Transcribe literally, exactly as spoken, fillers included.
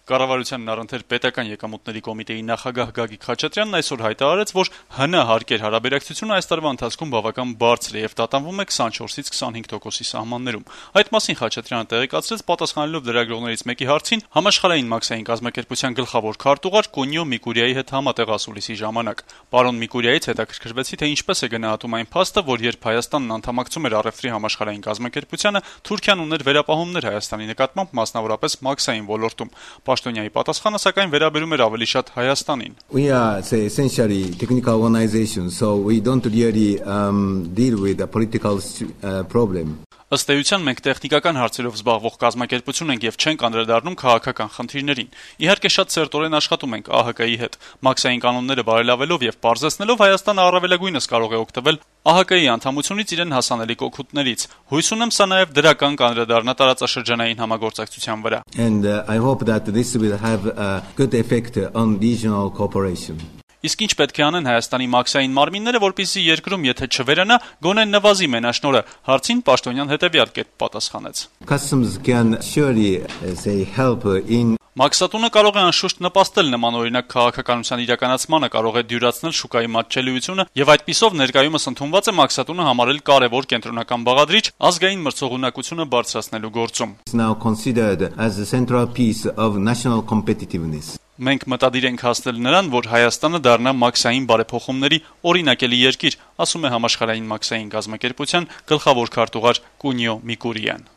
Կառավարության առընթեր պետական եկամուտների կոմիտեի նախագահ Գագիկ Խաչատրյանն այսօր հայտարարեց, որ ՀՆ հարկեր հարաբերակցությունը այս տարվա ընթացքում բավական բարձր է եւ տատանվում է քսանչորսից քսանհինգ տոկոսի սահմաններում։ Այդ մասին Խաչատրյանը տեղեկացրեց, պատասխանելով լրագրողներից մեկի հարցին համաշխարհային մաքսային կազմակերպության գլխավոր քարտուղար Կունիո Միկուրիայի հետ համատեղ ասուլիսի ժամանակ։ Պարոն Միկուրիայից հետաքրքրվեցի, թե ինչպես է գնահատում այն փաստը, որ երբ Հայաստանն անդամակցում էր առևտրի համաշխարհային կազմակերպությանը, Թուրքիան ուներ վերապահումներ Հայաստանի նկատմամբ, մասնավորապես մաքսային ոլորտում։ Պաշտոնյայի պատասխանը սակայն վերաբերում էր ավելի շատ Հայաստանին։ We are say, essentially technical organization, so we don't really um, deal with a political uh, problem. Ըստ էության մենք տեխնիկական հարցերով զբաղվող կազմակերպություն ենք եւ չենք անդրադառնում քաղաքական խնդիրներին։ Իհարկե շատ սերտորեն աշխատում ենք ԱՀԿ-ի հետ։ Մաքսային կանոնները բարելավելով եւ պարզեցնելով Հայաստանը առավելագույնս կարող է օգտվել ԱՀԿ-ի անդամությունից իրեն հասանելիք օգուտներից։ Հույս ունեմ սա նաեւ դրական կանդրադառնա տարածաշրջանային համագործակցության վրա։ And uh, I hope that this will have a good effect on regional cooperation. Իսկ ինչ պետք է անեն Հայաստանի մաքսային մարմինները, որպեսզի երկրում եթե չվերանա, գոնե նվազի մենաշնորհը, հարցին Պաշտոնյան հետևյալ կերպ պատասխանեց. Customs can surely uh, say help in Մաքսատունը կարող է անշուշտ նպաստել նմանօրինակ քաղաքականության իրականացմանը, կարող է դյուրացնել շուկայի մատչելիությունը եւ այդպիսով ներկայումս ընդունված է մաքսատունը համարել կարեւոր կենտրոնական բաղադրիչ ազգային մրցողունակությունը բարձրացնելու գործում։ It's now considered as a central piece of national competitiveness. Մենք մտադիր ենք հասնել նրան, որ Հայաստանը դառնա մաքսային բարեփոխումների օրինակելի երկիր, ասում է համաշխարհային մաքսային կազմակերպության գլխավոր քարտուղար Կունիո Միկուրիան։